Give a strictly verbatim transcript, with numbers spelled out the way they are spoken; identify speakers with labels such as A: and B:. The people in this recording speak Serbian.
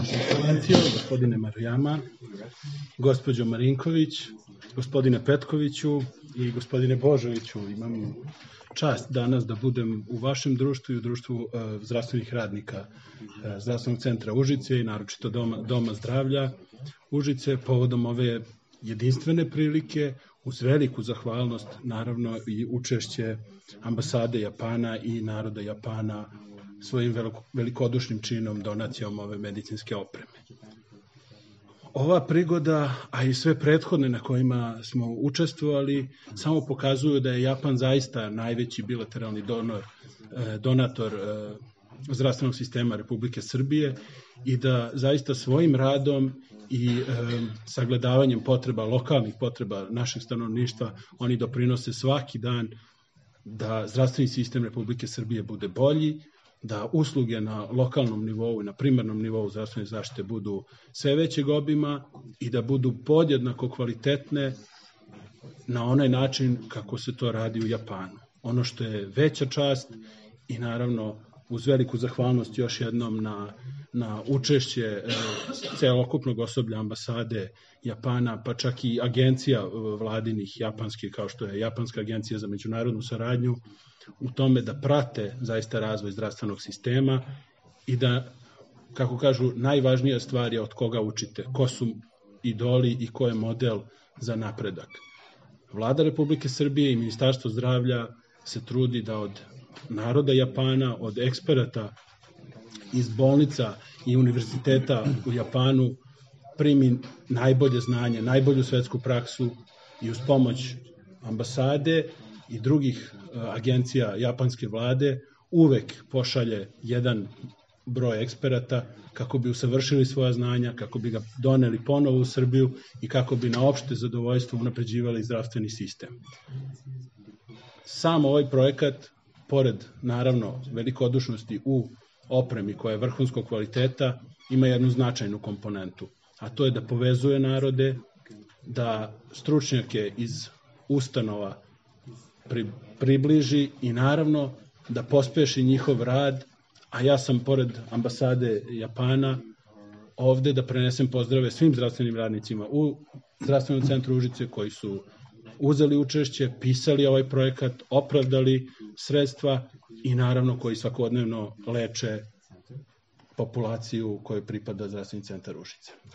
A: Ekscelencijo, gospodine Marujama, gospođo Marinković, gospodine Petkoviću i gospodine Božoviću, imam čast danas da budem u vašem društvu i u društvu uh, zdravstvenih radnika uh, Zdravstvenog centra Užice i naročito Doma, Doma zdravlja Užice povodom ove jedinstvene prilike, uz veliku zahvalnost, naravno i učešće ambasade Japana i naroda Japana svojim velikodušnim činom donacijom ove medicinske opreme. Ova prigoda, a i sve prethodne na kojima smo učestvovali, samo pokazuju da je Japan zaista najveći bilateralni donor, donator zdravstvenog sistema Republike Srbije i da zaista svojim radom i e, sagledavanjem potreba, lokalnih potreba našeg stanovništva, oni doprinose svaki dan da zdravstveni sistem Republike Srbije bude bolji, da usluge na lokalnom nivou i na primarnom nivou zdravstvene zaštite budu sve većeg obima i da budu podjednako kvalitetne na onaj način kako se to radi u Japanu. Ono što je veća čast i naravno uz veliku zahvalnost još jednom na, na učešće e, celokupnog osoblja ambasade Japana, pa čak i agencija vladinih japanskih, kao što je Japanska agencija za međunarodnu saradnju, u tome da prate zaista razvoj zdravstvenog sistema i da, kako kažu, najvažnija stvar je od koga učite, ko su idoli i ko je model za napredak. Vlada Republike Srbije i Ministarstvo zdravlja se trudi da od naroda Japana, od eksperata iz bolnica i univerziteta u Japanu primi najbolje znanje, najbolju svetsku praksu i uz pomoć ambasade i drugih agencija japanske vlade uvek pošalje jedan broj eksperata kako bi usavršili svoja znanja, kako bi ga doneli ponovo u Srbiju i kako bi na opšte zadovoljstvo unapređivali zdravstveni sistem. Sam ovaj projekat, pored naravno velikodušnosti u opremi koja je vrhunskog kvaliteta, ima jednu značajnu komponentu, a to je da povezuje narode, da stručnjake iz ustanova pri, približi i naravno da pospeši njihov rad, a ja sam pored ambasade Japana ovde da prenesem pozdrave svim zdravstvenim radnicima u Zdravstvenom centru Užice koji su uzeli učešće, pisali ovaj projekat, opravdali sredstva i naravno koji svakodnevno leče populaciju kojoj pripada Zdravstveni centar Užice.